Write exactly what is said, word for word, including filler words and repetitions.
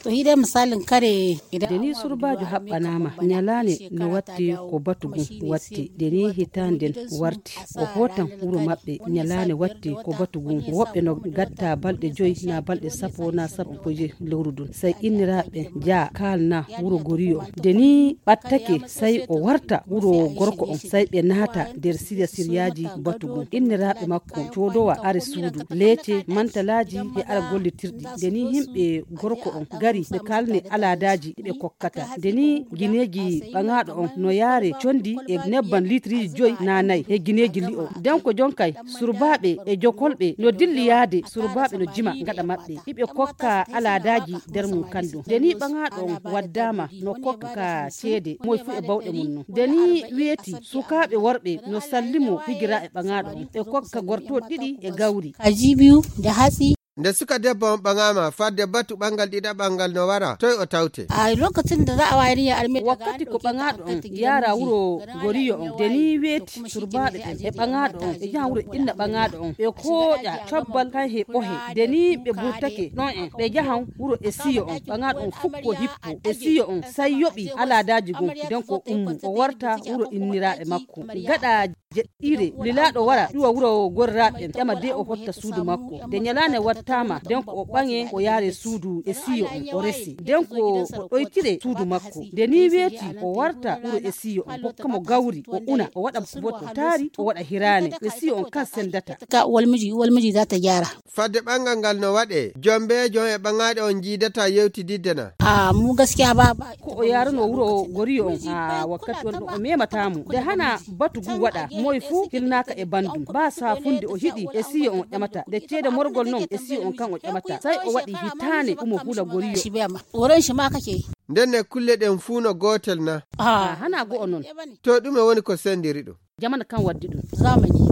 To hiɗe misalin kare. Idan de ni surbaajo haɓɓanaama, ñalaane no watti ko batu ngun watti. De ni hitaande nden warti, o hootan wuro maɓɓe. Ñalaane watti ko batu ngun, woɓɓe no gatta balɗe joy na balɗe sappo na sappo e joy lewru ndun. Sey inniraaɓe jaa kaalna wuro goriyo on. De ni ɓattake, sey o warta wuro gorko on, sey ɓe naata nder sirya siryaaji batu ngun. Inniraaɓe makko coodowa are suudu, leece, mantalaaji e ara gollitirɗi. De ni himɓe gorko on gari ɓe kalne alaadaaji ɗi ɓe kokkata. De ni gineeji ɓaŋaaɗo on no yaare condi e nebban liitiriji joy na nay e gineeji li'o. Den ko jonkay surbaaɓe e jokolɓe no dilli yaade, surbaaɓe no jima gaɗa maɓɓe. Iɓe kokka alaadaaji nder mum kandu. De ni ɓaŋaaɗo on waddaama no kokka ceede moy fu e bawɗe mum non. De ni weeti sukaaɓe worɓe no sallimo higira e ɓaŋaaɗo on. Ɓe kokka gortooɗi ɗiɗi e gawri. Kaji biyu da hatsi. Nde suka debbo on ɓaŋaama, fadde batu ɓangal ɗiɗaɓal ngal no wara, toy o tawte? A lokacin da za a wayar ya arme. Wakkati ko ɓaŋaaɗo on yaara wuro goriyo on, de ni weeti surbaaɓe ɓen e ɓaŋaaɗo on, ɓe jaha wuro inna ɓaŋaaɗo on, ɓe kooƴa cobbal kan he ɓohe. De ni ɓe burtake ɗon en, ɓe jahan wuro e siyo on, ɓaŋaaɗo on fukko hippo e siyo on, say yoɓi alaadaaji gun, den ko ummo, o warta wuro inniraaɓe makko. Gaɗa jeɗɗiire, lilaaɗo wara ƴuwa wuro gorraaɓe ɓen, ƴama de o hotta suudu makko. De ñalaane wattaama, den ko o ɓaŋe, o yaare suudu e siyo on, o resi. Den ko o ɗoytire suudu makko. De ni weeti, o warta wuro e siyo on, hokka mo gawri, o una, o waɗa kuboto taari, o waɗa hiraane, e siyo on kan sendata. Ka uwar miji, uwar miji za ta gyara. Fadde ɓangal ngal no waɗe, jombeejo on e ɓaŋaaɗo on jiidata yewtididde na? A mu gaskiya ba, ba. Ko o yaarano wuro goriyo on, a wakkati on ɗon o memata mo. De hana batu gu waɗa, moy fu hilnaaka e bandum. Ba saafunde o hiɗi e siyo on ƴamata. De ceede morgol non e siyo on kan o ƴamata. Say o waɗi hitaane umo hula goriyo. Shi bai ma. Wurin shi ma kake. Nden ne kulle ɗen fuu no gootel na? A hana go'o non. To ɗume woni ko sendiri ɗum? Jamanu kan waddi ɗum. Zamani.